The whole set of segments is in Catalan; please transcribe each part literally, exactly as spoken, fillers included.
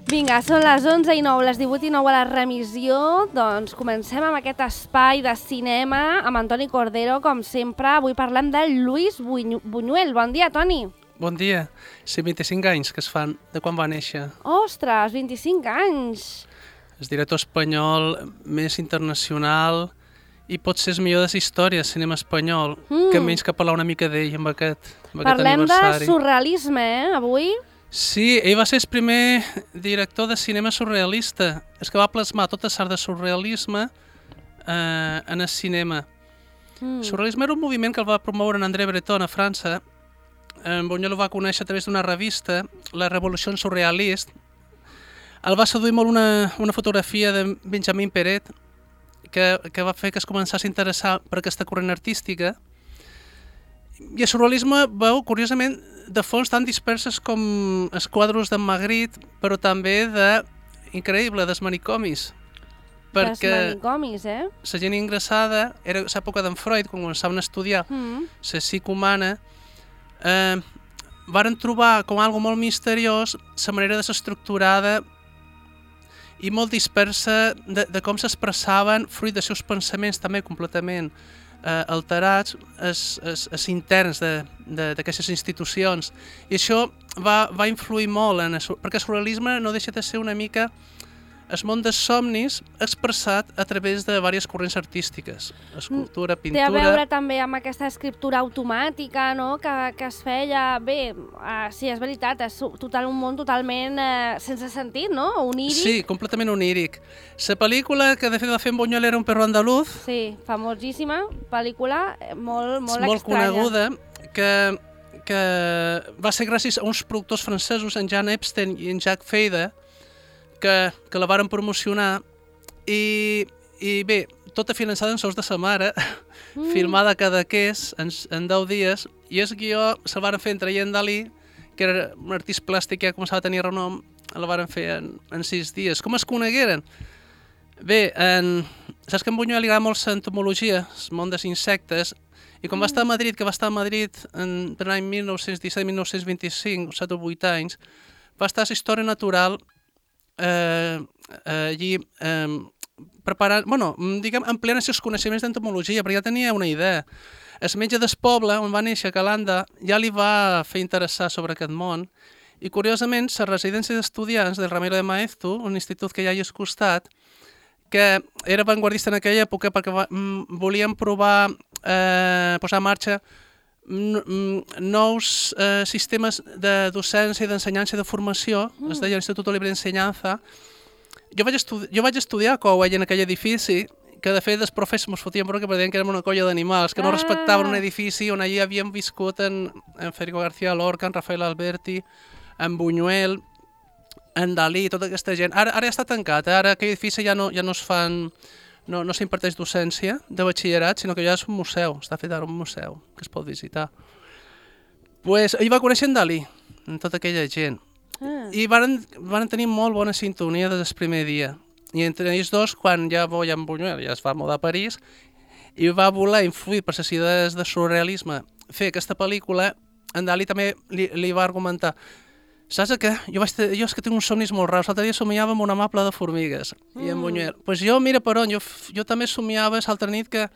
Vinga, són les onze i nou, les divuit i nou a la remissió. Doncs comencem amb aquest espai de cinema amb Antoni Cordero, com sempre. Avui parlem de Lluís Buñuel. Bon dia, Toni. Bon dia. cent vint-i-cinc anys que es fan de quan va néixer. Ostres, vint-i-cinc anys. El director espanyol més internacional i potser el millor de la història del cinema espanyol, mm. que menys que parlar una mica d'ell amb aquest, amb aquest Parlem aniversari. de surrealisme, eh, avui? Sí, ell va ser el primer director de cinema surrealista. És que va plasmar tota l'art de surrealisme eh, en el cinema. Mm. El surrealisme era un moviment que el va promoure en André Breton a França. En Buñuel ho va conèixer a través d'una revista, la Revolució Surrealista. El va seduir molt una, una fotografia de Benjamin Perret, que, que va fer que es començés a interessar per aquesta corrent artística. I el surrealisme veu, curiosament, de fons tan disperses com els quadros d'en Magritte, però també de, increïble, dels manicomis. Perquè dels manicomis, eh? La gent ingressada, era l'època d'en Freud, quan començaven a estudiar mm. la psique humana, eh, varen trobar com algo molt misteriós la manera de ser estructurada i molt dispersa de, de com s'expressaven fruit dels seus pensaments també completament eh, alterats els, els, els interns d'aquestes institucions. I això va, va influir molt, en el, perquè el surrealisme no deixa de ser una mica el món dels somnis expressat a través de diverses corrents artístiques, escultura, pintura... Té a veure també amb aquesta escriptura automàtica, no?, que, que es feia... Bé, uh, sí, és veritat, és total, un món totalment uh, sense sentit, no?, oníric. Sí, completament oníric. La pel·lícula que de fet va fer en Buñuel era Un perro andaluz. Sí, famosíssima pel·lícula, molt, molt, molt estranya. Molt coneguda, que, que va ser gràcies a uns productors francesos, en Jean Epstein i en Jacques Feyde, que, que la varen promocionar i, i bé, tota finançada en sous de sa mare, mm. filmada a Cadaqués en, en deu dies, i el guió se'l varen fer entre en Dalí, que era un artista plàstic que ja començava a tenir renom, el varen fer en, en sis dies. Com es conegueren? Bé, en, saps que en Buñuel li agrada molt l'entomologia, el món dels insectes, i quan mm. va estar a Madrid, que va estar a Madrid en l'any mil nou-cents disset mil nou-cents vint-i-cinc, set o vuit anys, va estar a l'història natural Eh, eh, allí eh, preparant, bueno, diguem, empleant els seus coneixements d'entomologia, perquè ja tenia una idea. El metge del poble, on va néixer, a Calanda, ja li va fer interessar sobre aquest món, i curiosament, la residència d'estudiants del Ramiro de Maeztu, un institut que ja hi ha al costat, que era avantguardista en aquella època perquè va, mm, volien provar, eh, posar en marxa nous eh, sistemes de docència, d'ensenyança i de formació, mm. es deia l'Institut Libre d'Ensenyança. Jo vaig, estudi jo vaig estudiar a Cowell en aquell edifici, que de fet els professors ens fotien perquè deien que érem una colla d'animals, que no ah. respectaven un edifici on allí havien viscut en, en Federico García Lorca, en Rafael Alberti, en Buñuel, en Dalí, tota aquesta gent. Ara, ara ja està tancat, eh? Ara aquell edifici ja no, ja no es fan... No, no s'imparteix docència de batxillerat, sinó que ja és un museu, està fet ara un museu que es pot visitar. Pues, ell va conèixer en Dalí, en tota aquella gent, ah. i van, van tenir molt bona sintonia des del primer dia. I entre ells dos, quan ja Boy en Buñuel ja es va mudar a París, i va voler influir per les idees de surrealisme, fer aquesta pel·lícula, en Dalí també li, li va argumentar: saps què? Jo, vaig jo és que tinc uns somnis molt raros. L'altre dia somiava amb una mapla de formigues. Mm. I en Buñuel, pues jo, mira per on, jo, jo també somiava l'altra nit que,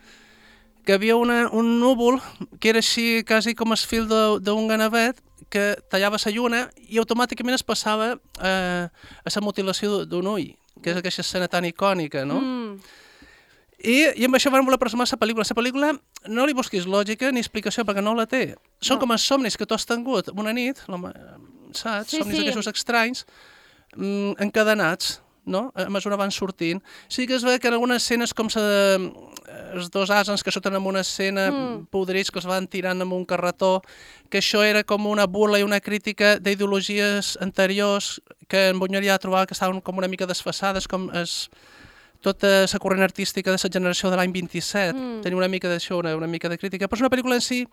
que havia una, un núvol que era així quasi com el fil d'un ganavet que tallava la lluna i automàticament es passava eh, a la mutilació d'un ull, que és aquesta escena tan icònica, no? Mm. I, I amb això van voler plasmar la pel·lícula. La pel·lícula no li busquis lògica ni explicació perquè no la té. Són no. com els somnis que tu has tingut una nit, saps? Sí, somnis sí. d'aquests estranys, mm, encadenats, no? A mesura van sortint. Sí que es veu que en algunes escenes com sa, els dos asens que surten en una escena mm. podrits que es van tirant amb un carretó, que això era com una burla i una crítica d'ideologies anteriors que en Buñuel ja trobava que estaven com una mica desfasades, com es... tota la corrent artística de la generació de l'any vint-i-set, mm. tenia una mica d'això, una, una mica de crítica, però és una pel·lícula en si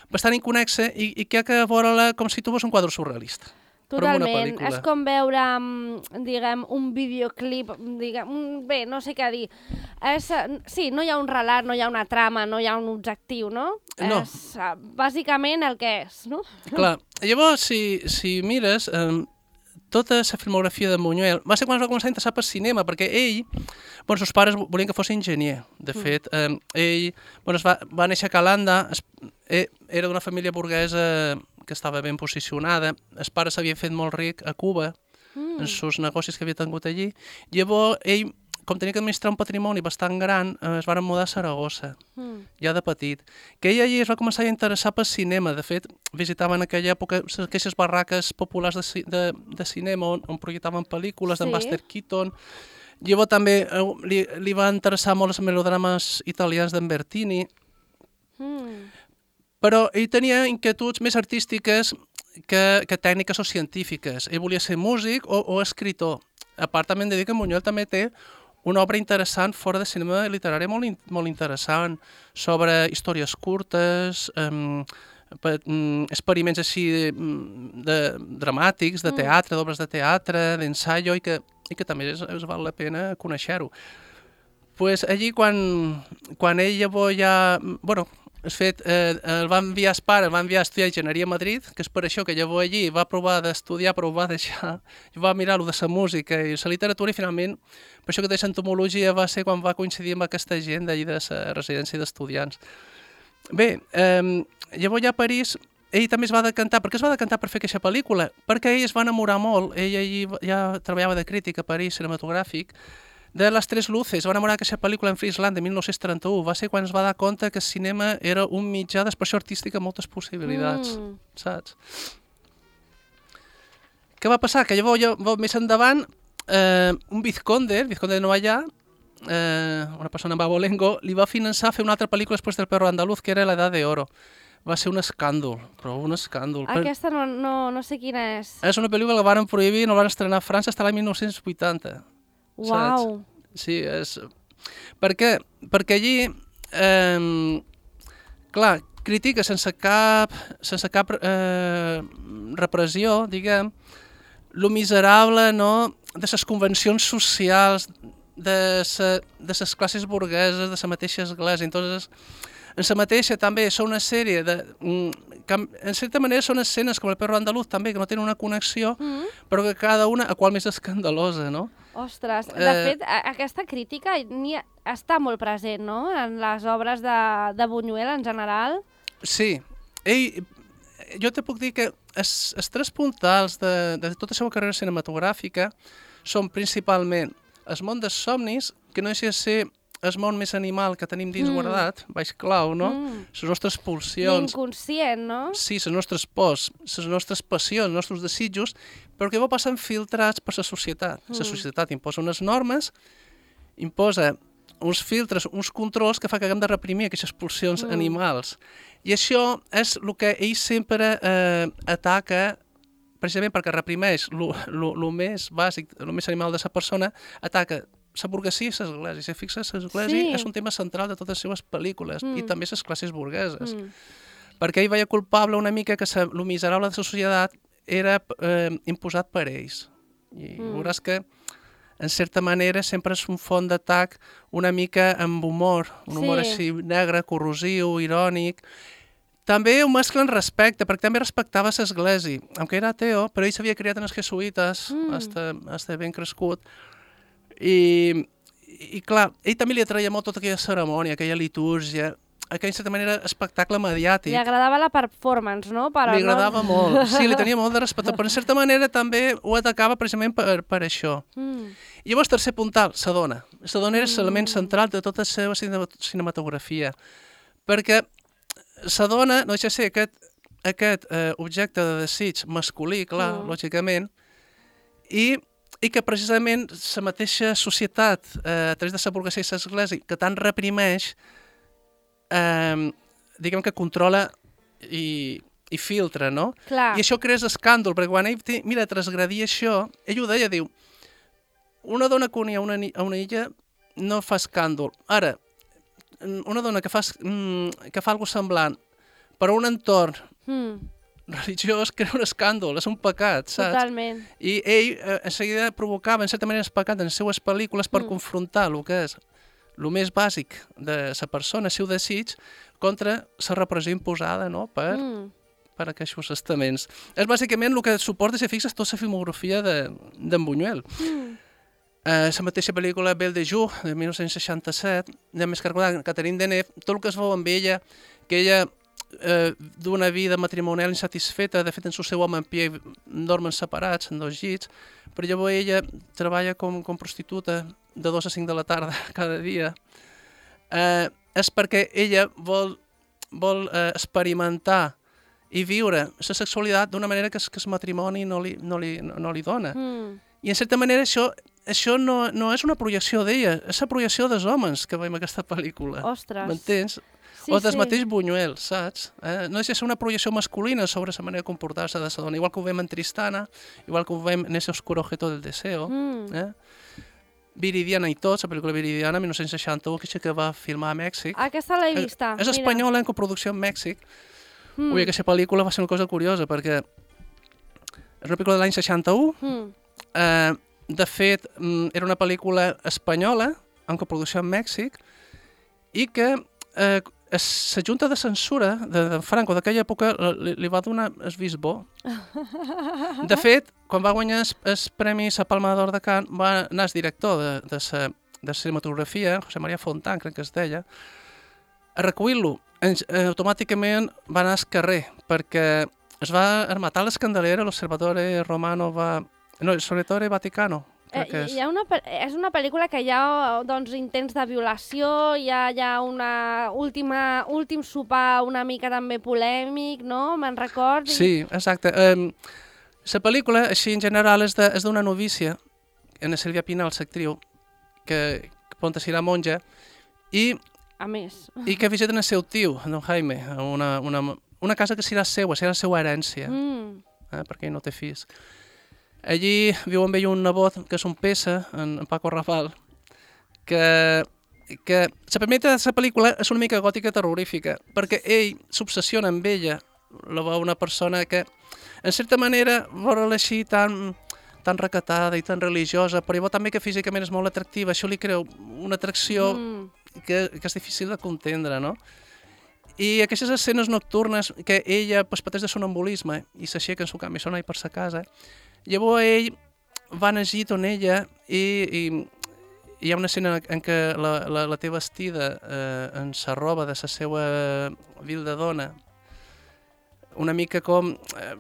bastant inconexa i, i que ha que veure-la com si tu fos un quadre surrealista. Totalment, és com veure, diguem, un videoclip, diguem, bé, no sé què dir. És, sí, no hi ha un relat, no hi ha una trama, no hi ha un objectiu, no? No. És bàsicament el que és, no? Clar, llavors, si, si mires... Eh, tota la filmografia de Buñuel va ser quan es va començar a interessar pel cinema, perquè ell, bueno, els seus pares volien que fos enginyer. De fet, eh, ell bueno, es va, va néixer a Calanda, es, eh, era d'una família burguesa que estava ben posicionada, el pare s'havia fet molt ric a Cuba, mm. en els negocis que havia tingut allí. Llavors, ell, com tenia que administrar un patrimoni bastant gran, eh, es van mudar a Saragossa, mm. ja de petit. Que ell allí es va començar a interessar pel cinema. De fet, visitaven en aquella època aquestes barraques populars de, de, de cinema on, on projectaven pel·lícules sí. d'en Buster Keaton. Llavors també eh, li, li va interessar molt els melodrames italians d'en Bertini. Mm. Però ell tenia inquietuds més artístiques que, que tècniques o científiques. Ell volia ser músic o, o escritor. A part, també hem de dir que Buñuel també té una obra interessant fora de cinema literari molt, in, molt interessant sobre històries curtes, um, pe, um, experiments així de, de, dramàtics, de teatre, d'obres de teatre, d'ensaio, i que, i que també es, es val la pena conèixer-ho. Pues allí, quan, quan ell llavors ja... Bueno, és fet, eh, el va enviar el pare, el va enviar a estudiar enginyeria a Madrid, que és per això que llavors allí va provar d'estudiar, però ho va deixar, va mirar-lo de la música i la literatura, i finalment, per això que de entomologia va ser quan va coincidir amb aquesta gent d'allí de la residència d'estudiants. Bé, eh, llavors ja a París, ell també es va decantar. Per què es va decantar per fer aquesta pel·lícula? Perquè ell es va enamorar molt, ell allí ja treballava de crític a París, cinematogràfic, de Les Tres Luces. Va enamorar d'aquesta pel·lícula en Friesland de mil nou-cents trenta-u. Va ser quan es va dar compte que el cinema era un mitjà d'expressió artística amb moltes possibilitats, mm. saps? Què va passar? Que llavors, llavors més endavant, eh, un vizconde, el vizconde de Noallà, eh, una persona en Babolengo, li va finançar fer una altra pel·lícula després del Perro Andaluz, que era La Edad de Oro. Va ser un escàndol, però un escàndol. Aquesta no, no, no sé quina és. És una pel·lícula que la van prohibir i no la van estrenar a França fins l'any mil nou-cents vuitanta. Uau! Sí, és... Per què? Perquè allí, eh, clar, critica sense cap, sense cap eh, repressió, diguem, lo miserable, no?, de les convencions socials, de les classes burgueses, de la mateixa església. Entonces, en la mateixa també són una sèrie de... Que, en certa manera són escenes com el Perro Andaluz també, que no tenen una connexió, mm. però que cada una, a qual més escandalosa, no? Ostres, de eh... fet, aquesta crítica ni està molt present, no?, en les obres de, de Buñuel en general. Sí. Ell, jo te puc dir que els, els tres puntals de, de tota la seva carrera cinematogràfica són principalment el món dels somnis, que no deixa de ser el món més animal que tenim dins mm. guardat, baix clau, no? Mm. Les nostres pulsions. L'inconscient, no? Sí, les nostres pors, les nostres passions, els nostres desitjos, però que va passant filtrats per la societat. Mm. La societat imposa unes normes, imposa uns filtres, uns controls que fa que haguem de reprimir aquestes pulsions mm. animals. I això és el que ell sempre eh, ataca, precisament perquè reprimeix el més bàsic, el més animal de la persona, ataca la burguesia i l'església. Si fixes, l'església sí. és un tema central de totes les seves pel·lícules, mm. i també les classes burgueses. Mm. Perquè ell veia culpable una mica que el miserable de la societat era eh, imposat per ells. I mm. veuràs que, en certa manera, sempre és un font d'atac una mica amb humor, un humor sí. així negre, corrosiu, irònic. També ho mescla en respecte, perquè també respectava l'església. Aunque era ateo, però ell s'havia criat en els jesuïtes, mm. hasta, hasta ben crescut. I, i clar, ell també li atraia molt tota aquella cerimònia, aquella litúrgia, aquell, en certa manera, espectacle mediàtic. Li agradava la performance, no? Però li agradava no... molt, sí, li tenia molt de respecte, però en certa manera també ho atacava precisament per, per això. Mm. I llavors, tercer puntal, la dona. La dona era l'element mm. central de tota la seva cinematografia, perquè la dona no deixa de ser aquest, aquest eh, objecte de desig masculí, clar, mm. lògicament, i i que precisament la mateixa societat, eh, a través de la burguesia i l'església, que tant reprimeix, eh, diguem que controla i, i filtra, no? Clar. I això crea escàndol, perquè quan ell té, mira, transgredir això, ell ho deia, diu, una dona que unia una, a una illa no fa escàndol. Ara, una dona que fa, que fa alguna semblant per a un entorn mm. religiós crea un escàndol, és un pecat, saps? Totalment. I ell eh, en seguida provocava, en certa manera, el pecat en les seues pel·lícules per mm. confrontar el que és el més bàsic de la persona, el seu desig, contra la repressió imposada, no?, per, mm. per aquests estaments. És bàsicament el que suporta, si fixes, tota la filmografia d'en Buñuel. Mm. Uh, la mateixa pel·lícula Belle de Jour, de dinou seixanta-set, de més que recordar, Catherine Deneuve, tot el que es veu amb ella, que ella eh, d'una vida matrimonial insatisfeta, de fet en el seu home en pie dormen separats en dos llits, però llavors ella treballa com, com prostituta de dos a cinc de la tarda cada dia. Eh, és perquè ella vol, vol eh, experimentar i viure la sexualitat d'una manera que, que el matrimoni no li, no li, no, no li dona. Mm. I en certa manera això, això no, no és una projecció d'ella, és la projecció dels homes que veiem aquesta pel·lícula. Ostres! M'entens? Sí, o del sí. mateix Buñuel, saps? Eh? No deixa de ser una projecció masculina sobre la manera de comportar-se de la dona, igual que ho veiem en Tristana, igual que ho veiem en ese oscuro objeto del deseo. Mm. Eh? Viridiana i tot, la pel·lícula Viridiana, dinou seixanta-u, que va filmar a Mèxic. Aquesta l'he vista. És, és espanyola, en coproducció en Mèxic. Mm. Ui, aquesta pel·lícula va ser una cosa curiosa, perquè és una pel·lícula de l'any seixanta-u. Mm. Eh, de fet, era una pel·lícula espanyola, en coproducció en Mèxic, i que eh, la Junta de Censura de, de Franco d'aquella època li, li va donar el vist bo. De fet, quan va guanyar el premi a Palma d'Or de Cannes, va anar el director de, de, sa, de cinematografia, José María Fontán, crec que es deia, a recollir-lo. Automàticament va anar al carrer, perquè es va armatar l'escandalera, l'Osservatore Romano va... No, l'Osservatore Vaticano. Eh, hi ha una, és una pel·lícula que hi ha doncs, intents de violació, hi ha, hi ha una última, últim sopar una mica també polèmic, no? Me'n record? Sí, exacte. Um, la pel·lícula, així en general, és d'una novícia, en Sílvia Pinal, l'actriu, que, que ponta serà monja, i, a més. i que visiten el seu tio, don Jaime, una, una, una casa que serà seva, serà la seva herència, mm. eh, perquè ell no té fills. Allí viu amb ell un nebot, que és un Pesa, en, en Paco Raval, que, que la primera de la pel·lícula és una mica gòtica terrorífica, perquè ell s'obsessiona amb ella, la veu una persona que, en certa manera, veure-la així tan, tan recatada i tan religiosa, però llavors també que físicament és molt atractiva, això li creu una atracció mm. que, que és difícil de contendre, no? I aquestes escenes nocturnes que ella pues, pateix de sonambulisme i s'aixeca en su canvi, sona i per sa casa, llavors ell va anar llit on ella i, i, i hi ha una escena en què la, la, la té vestida eh, en sa roba de la seva vil de dona, una mica com... Eh,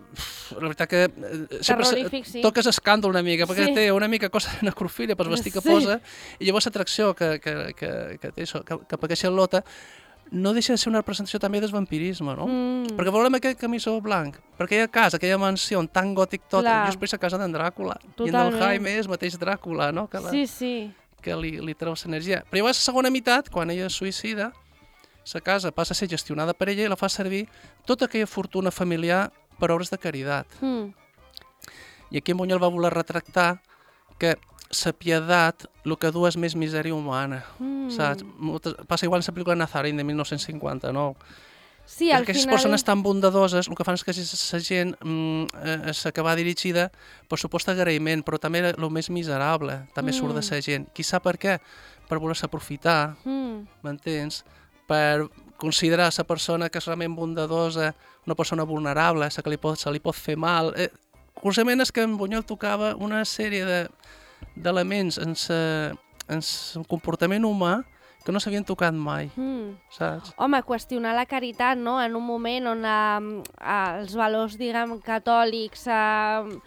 la veritat que... Eh, Terrorífic, sí. Toques escàndol una mica, perquè sí. té una mica cosa de necrofília per vestir que sí. posa, i llavors l'atracció que, que, que, que té això, que, que per aquesta lota, no deixa de ser una representació també del vampirisme, no? Mm. Perquè volem aquest camisó blanc, per aquella casa, aquella mansió tan gòtic tot, Clar. jo expressa casa d'en Dràcula. Totalment. I en Don Jaime és mateix Dràcula, no? Que la, sí, sí. Que li, li treu l'energia. Però llavors, la segona meitat, quan ella es suïcida, la casa passa a ser gestionada per ella i la fa servir tota aquella fortuna familiar per obres de caritat. Mm. I aquí en Buñuel va voler retractar que la piedat el que du és més misèria humana, mm. saps? Moltes, passa igual en la pel·lícula Nazarín de dinou cinquanta-nou. Sí, al Aquestes final... persones tan bondadoses, el que fan és que la gent mm, és que va dirigida per supost agraïment, però també el més miserable, també mm. surt de la gent. Qui sap per què? Per voler-se aprofitar, m'entens? Mm. Per considerar la persona que és realment bondadosa una persona vulnerable, la que li pot, se li pot fer mal. Eh, curiosament és que en Buñuel tocava una sèrie de d'elements en el comportament humà que no s'havien tocat mai, mm. saps? Home, qüestionar la caritat, no?, en un moment on eh, els valors, diguem, catòlics, eh,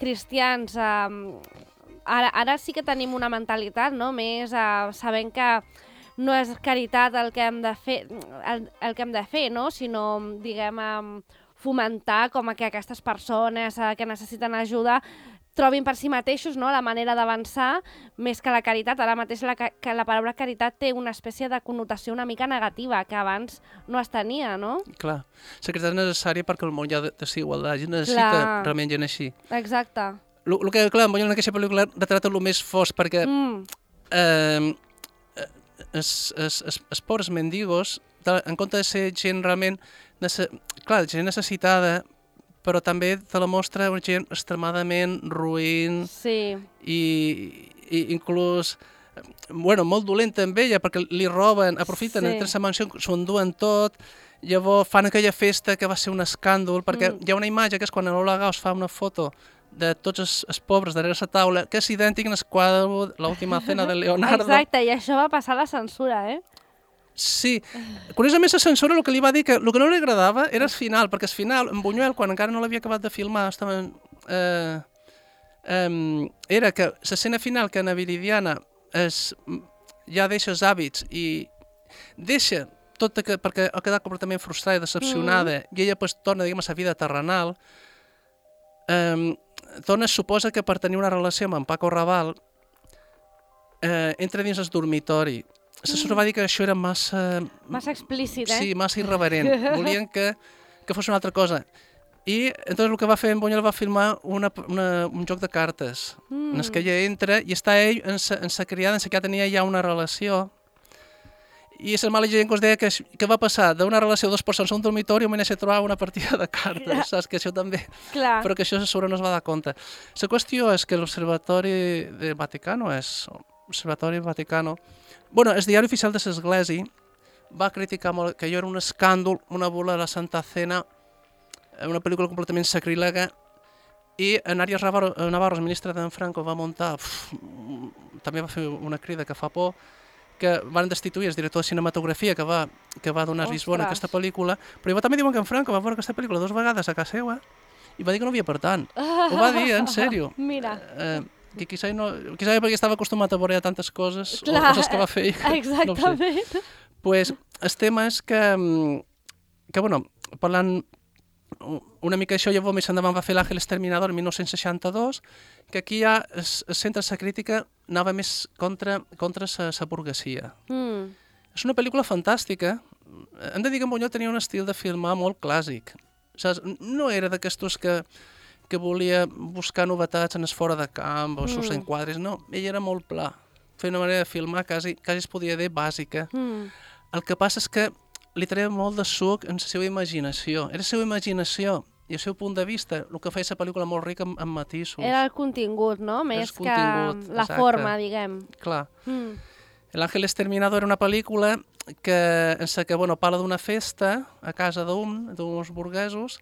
cristians, eh, ara, ara sí que tenim una mentalitat, no?, més eh, sabent que no és caritat el que hem de fer, el, el que hem de fer, no?, sinó, diguem, eh, fomentar com que aquestes persones eh, que necessiten ajuda trobin per si mateixos, no?, la manera d'avançar més que la caritat. Ara mateix la, que la paraula caritat té una espècie de connotació una mica negativa, que abans no es tenia, no? Clar. La caritat és necessària perquè el món hi ha desigualtat, i necessita clar. Realment gent així. Exacte. El que, clar, en aquesta pel·lícula retrata el més fos, perquè mm. eh, els, els, els, els pobres mendigos, en compte de ser gent realment, clar, gent necessitada, però també te la mostra una gent extremadament ruïn sí. i, i inclús bueno, molt dolenta amb ella perquè li roben, aprofiten, sí. entren a la mansió, s'ho enduen tot Llavors fan aquella festa que va ser un escàndol, perquè Mm. hi ha una imatge que és quan Lola Gauss fa una foto de tots els, els pobres darrere la taula, que és idèntic en el quadre l'última cena de Leonardo. Exacte, i això va passar a la censura, eh? Sí. Curiosament, la censura el que li va dir que el que no li agradava era el final, perquè el final, en Buñuel, quan encara no l'havia acabat de filmar, estava, eh, eh, era que l'escena final que Ana Viridiana es, ja deixa els hàbits i deixa tot que, perquè ha quedat completament frustrada i decepcionada, mm. i ella pues, torna diguem, a la vida terrenal, eh, torna, es suposa que per tenir una relació amb en Paco Raval eh, entra dins el dormitori. L'assessora va dir que això era massa... Massa explícit, eh? Sí, massa irreverent. Volien que, que fos una altra cosa. I entonces el que va fer en Buñuel va filmar una, una, un joc de cartes mm. en el que ella entra i està ell en sa, en sa criada, en sa que ja tenia ja una relació. I la mala gent que us deia que, que va passar d'una relació de dues persones a un dormitori i a trobar una partida de cartes, Clar. Saps? Que això també... Clar. Però que això sobre no es va dar compte. La qüestió és que l'Observatori del Vaticano és... Observatori Vaticano... Bueno, el diari oficial de l'Església va criticar molt que allò era un escàndol, una bula de la Santa Cena, una pel·lícula completament sacrílega, i en Arias Navarro, Navarro el ministre d'en Franco, va muntar... Uf, també va fer una crida que fa por, que van destituir el director de cinematografia que va, que va donar vist bona a aquesta pel·lícula, però jo també diuen que en Franco va veure aquesta pel·lícula dues vegades a casa seva i va dir que no havia per tant. Ho va dir, en sèrio. Mira. Eh, que quizá, no, quizá perquè estava acostumat a veure tantes coses, Clar, o coses que va fer ell. Exactament. No pues, el tema és que, que bueno, parlant una mica d'això, llavors més endavant va fer l'Àngel Exterminador en dinou seixanta-dos, que aquí ja el, el centre de la crítica anava més contra, contra la burguesia. Mm. És una pel·lícula fantàstica. Hem de dir que en Buñuel tenia un estil de filmar molt clàssic. Saps? No era d'aquestos que, que volia buscar novetats en el fora de camp o sus mm. enquadres, no. Ell era molt pla. Feia una manera de filmar quasi, quasi es podia dir bàsica. Mm. El que passa és que li treia molt de suc en la seva imaginació. Era la seva imaginació i el seu punt de vista, el que feia la pel·lícula molt rica en, en matisos. Era el contingut, no? Més que la exacte. forma, diguem. Clar. Mm. L'Àngel Exterminador era una pel·lícula que, en la que bueno, parla d'una festa a casa d'un, d'uns burguesos,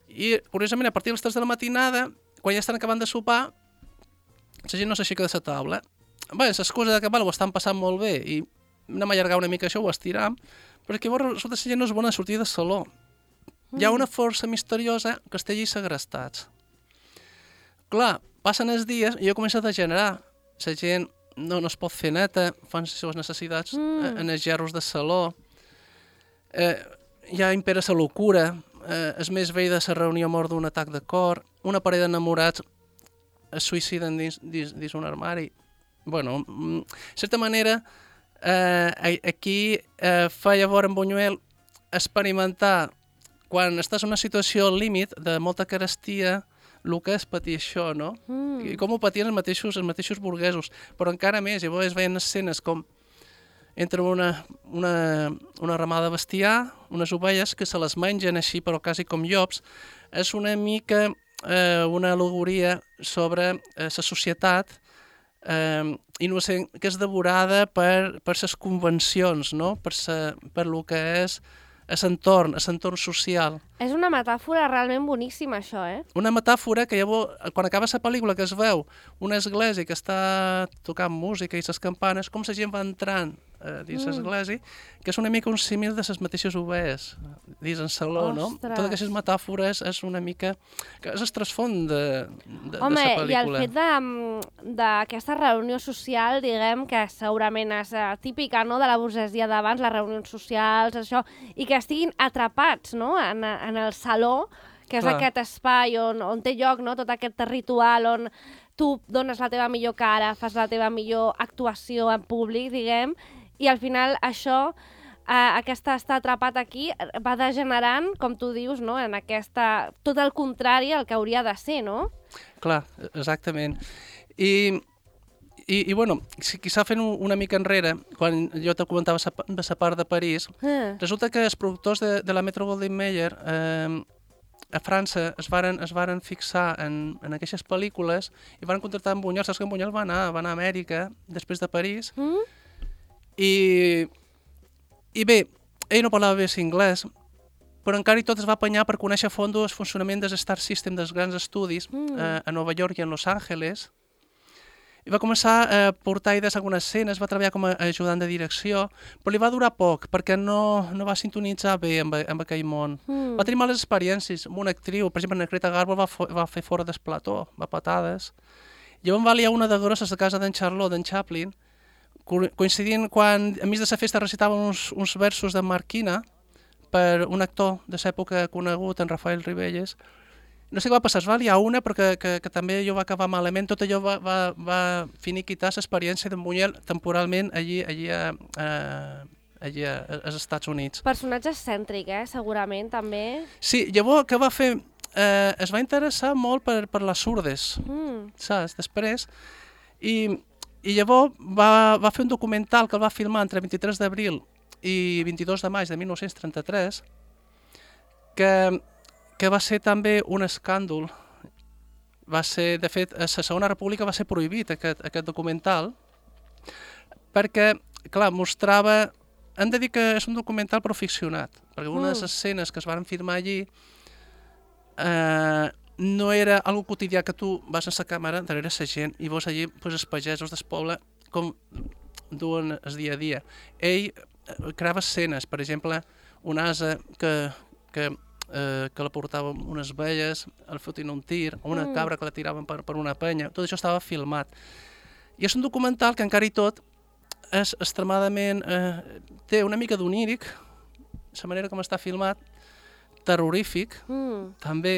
i, curiosament, a partir de les tres de la matinada, quan ja estan acabant de sopar, la gent no s'aixeca de la taula. Bé, l'excusa de que bueno, ho estan passant molt bé i anem a allargar una mica això, ho estiram, però és que llavors resulta que la gent no és bona a sortir del saló. Mm. Hi ha una força misteriosa que està allí segrestats. Clar, passen els dies i jo començo a degenerar. La gent no, no es pot fer neta, fan les seves necessitats mm. en els gerros de saló. Eh, ja impera la locura, eh, el més vell de la reunió mor d'un atac de cor, una parella d'enamorats es suïciden dins, dins, dins un armari. Bueno, de certa manera, eh, aquí eh, fa llavors en Buñuel experimentar, quan estàs en una situació al límit de molta carestia, el que és patir això, no? Mm. I com ho patien els mateixos, els mateixos burguesos, però encara més, llavors es veien escenes com entra una, una, una ramada de bestiar, unes ovelles que se les mengen així, però quasi com llops. És una mica eh, una al·legoria sobre eh, la societat eh, innocent, que és devorada per, per les convencions, no? Per, sa, per lo que és l'entorn, l'entorn social. És una metàfora realment boníssima, això, eh? Una metàfora que llavors, quan acaba la pel·lícula, que es veu una església que està tocant música i les campanes, com la gent va entrant eh, dins mm. l'església, que és una mica un símil de les mateixes ovelles dins el saló, no? Totes aquestes metàfores és una mica... que és el trasfons de, de, Home, de la pel·lícula. I el fet d'aquesta reunió social, diguem, que segurament és uh, típica, no?, de la burgesia d'abans, les reunions socials, això, i que estiguin atrapats, no?, en, en el saló, que és Clar. Aquest espai on, on té lloc, no?, tot aquest ritual on tu dones la teva millor cara, fas la teva millor actuació en públic, diguem, i al final això, eh, aquesta estar atrapat aquí, va degenerant, com tu dius, no?, en aquesta... tot el contrari al que hauria de ser, no? Clar, exactament. I, i, i bueno, quizà fent una mica enrere, quan jo te comentava de la part de París, eh. resulta que els productors de, de la Metro-Goldwyn-Mayer eh, a França es varen, es varen fixar en, en aquestes pel·lícules i van contractar en Buñuel. Saps que en Buñuel va anar, va anar a Amèrica després de París. Mm? I, I bé, ell no parlava bé anglès, però encara i tot es va apanyar per conèixer a fondo el funcionament del Star System dels grans estudis mm. eh, a Nova York i en Los Angeles. I va començar a portar idees a algunes escenes, va treballar com a ajudant de direcció, però li va durar poc perquè no, no va sintonitzar bé amb, amb aquell món. Mm. Va tenir males experiències amb una actriu, per exemple, en Greta Garbo va, va fer fora del plató, va patades. Llavors va liar una de grosses a casa d'en Charlot, d'en Chaplin, coincidint quan, enmig de la festa, recitaven uns, uns versos de Marquina, per un actor de l'època conegut, en Rafael Ribelles. No sé què va passar, es va liar una, però que, que, que també allò va acabar malament. Tot allò va, va, va finiquitar l'experiència d'en Buñuel temporalment allí, allí, a, a, allí a, als Estats Units. Personatge excèntric, eh? Segurament, també. Sí, llavors, què va fer? Eh, es va interessar molt per, per les surdes, mm. saps? Després. I, i llavors va, va fer un documental que el va filmar entre vint-i-tres d'abril i vint-i-dos de maig de mil nou-cents trenta-tres, que, que va ser també un escàndol. Va ser, de fet, a la Segona República va ser prohibit aquest, aquest documental, perquè, clar, mostrava... Hem de dir que és un documental però ficcionat, perquè una mm. de les escenes que es van filmar allí eh, no era algo quotidià que tu vas a la càmera darrere la gent i veus allí pues, els pagesos del poble com duen el dia a dia. Ell creava escenes, per exemple, un ase que, que, eh, que la portava unes velles, el fotien un tir, o una mm. cabra que la tiraven per, per una penya, tot això estava filmat. I és un documental que encara i tot és extremadament... Eh, té una mica d'oníric, la manera com està filmat, terrorífic, mm. també,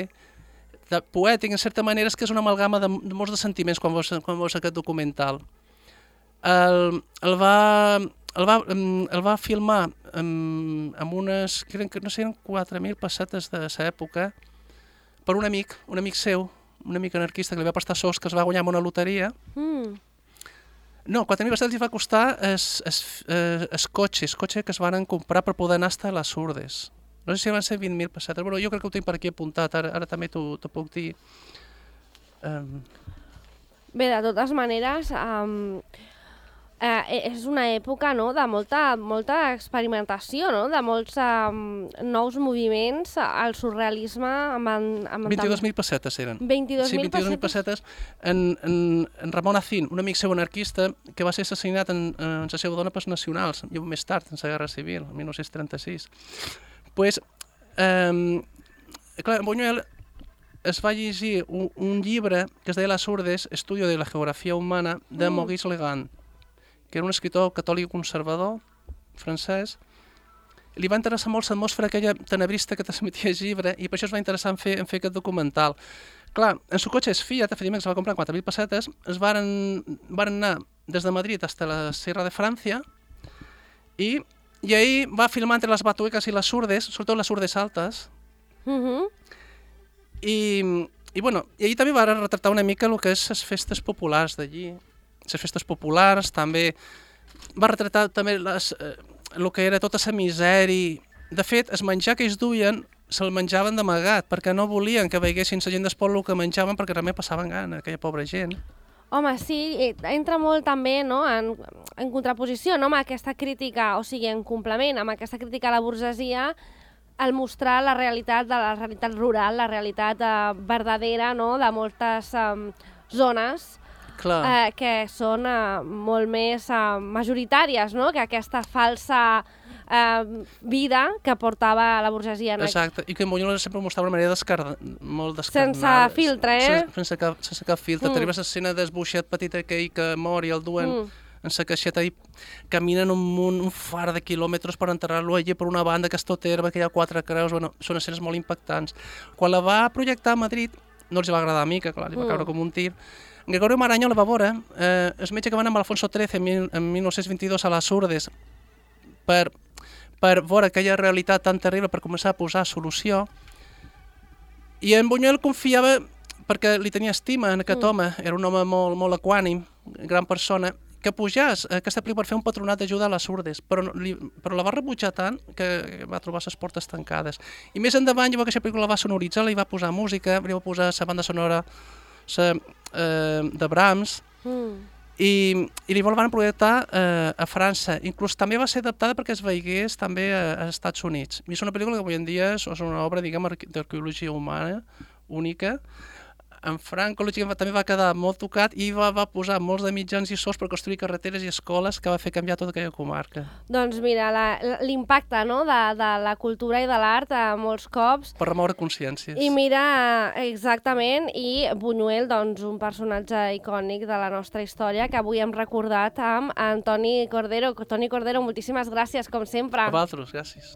de poètic, en certa manera, és que és una amalgama de, de molts de sentiments quan veus, quan veus aquest documental. El, el va... El va, el va filmar amb, amb unes, crec que no sé, eren quatre mil pessetes de l'època, per un amic, un amic seu, un amic anarquista que li va prestar sous que es va guanyar amb una loteria. Mm. No, quatre mil pessetes li va costar el, el, el cotxe, el cotxe que es van comprar per poder anar a les Surdes. No sé si van ser vint mil pessetes, però jo crec que ho tinc per aquí apuntat, ara, ara també t'ho puc dir. Um... Bé, de totes maneres... Um... Eh, és una època, no?, de molta, molta experimentació, no?, de molts um, nous moviments, el surrealisme... Amb, amb vint-i-dos mil pessetes eren. vint-i-dos mil sí, vint-i-dos mil pessetes. En, en, en Ramon Acín, un amic seu anarquista, que va ser assassinat en, en la seva dona pels nacionals, i més tard, en la Guerra Civil, en mil nou-cents trenta-sis. Pues, eh, clar, Buñuel es va llegir un, un llibre que es deia Las Urdes, Estudio de la Geografia Humana, de mm. Maurice Legand, que era un escritor catòlic conservador, francès. Li va interessar molt l'atmosfera aquella tenebrista que transmetia el llibre i per això es va interessar en fer, en fer aquest documental. Clar, en su cotxe es Fiat, efectivament, que se va comprar quatre mil pessetes, es varen, varen anar des de Madrid fins a la Sierra de França i, i ahir va filmar entre les batueques i les surdes, sobretot les surdes altes, mm-hmm. i, i, bueno, i ahir també va retratar una mica el que és les festes populars d'allí, les festes populars, també va retratar també les, eh, el que era tota la misèria. De fet, el menjar que ells duien se'l menjaven d'amagat, perquè no volien que veiessin la gent del poble el que menjaven, perquè realment passaven gana, aquella pobra gent. Home, sí, entra molt també, no?, en, en contraposició, no?, amb aquesta crítica, o sigui, en complement amb aquesta crítica a la burgesia, al mostrar la realitat de la realitat rural, la realitat eh, verdadera, no?, de moltes eh, zones, Eh, que són eh, molt més eh, majoritàries, no?, que aquesta falsa eh, vida que portava la burgesia. Exacte, i que en Buñuel sempre mostrava una manera descarnada, molt descarnada. Sense filtre, eh? Sense, sense, cap, sense cap filtre. Mm. T'arribes a l'escena del buixet petit aquell que mor i el duen mm. en la caixeta i caminen un, un, un far de quilòmetres per enterrar-lo allí per una banda que és tot herba, que hi ha quatre creus, bueno, són escenes molt impactants. Quan la va projectar a Madrid, no els va agradar a mi, que clar, li va caure mm. com un tir. Gregorio Maraño la va veure, eh, el metge que va anar amb Alfonso trece en, mil, en mil nou-cents vint-i-dos a les Urdes per, per veure aquella realitat tan terrible, per començar a posar solució. I en Buñuel confiava, perquè li tenia estima en aquest mm. home, era un home molt, molt equànim, gran persona, que pujàs a aquesta pel·lícula per fer un patronat d'ajuda a les Urdes, però, li, però la va rebutjar tant que va trobar les portes tancades. I més endavant, llavors aquesta pel·lícula la va sonoritzar, li va posar música, li va posar la banda sonora sa, eh, de Brahms, mm. I, i li van projectar eh, a França. Inclús també va ser adaptada perquè es veigués també a, a Estats Units. I és una pel·lícula que avui en dia és una obra, diguem, d'arqueologia humana única. En Franco també va quedar molt tocat i va, va posar molts de mitjans i sous per construir carreteres i escoles que va fer canviar tota aquella comarca. Doncs mira, l'impacte no? de, de la cultura i de l'art a molts cops. Per remoure consciències. I mira, exactament, i Buñuel, doncs, un personatge icònic de la nostra història que avui hem recordat amb Antoni Cordero. Toni Cordero, moltíssimes gràcies, com sempre. A vosaltres, gràcies.